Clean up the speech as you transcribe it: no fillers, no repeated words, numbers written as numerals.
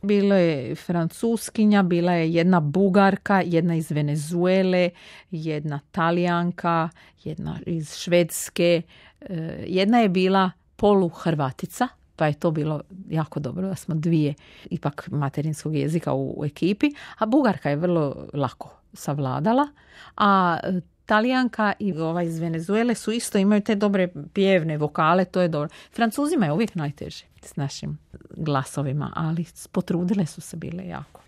Bilo je Francuskinja, bila je jedna Bugarka, jedna iz Venezuele, jedna Talijanka, jedna iz Švedske, jedna je bila poluhrvatica, pa je to bilo jako dobro da smo dvije ipak materinskog jezika u ekipi, a Bugarka je vrlo lako savladala, a Talijanka i ova iz Venezuele su isto, imaju te dobre pjevne vokale, to je dobro. Francuzima je uvijek najteže s našim glasovima, ali potrudile su se bile jako.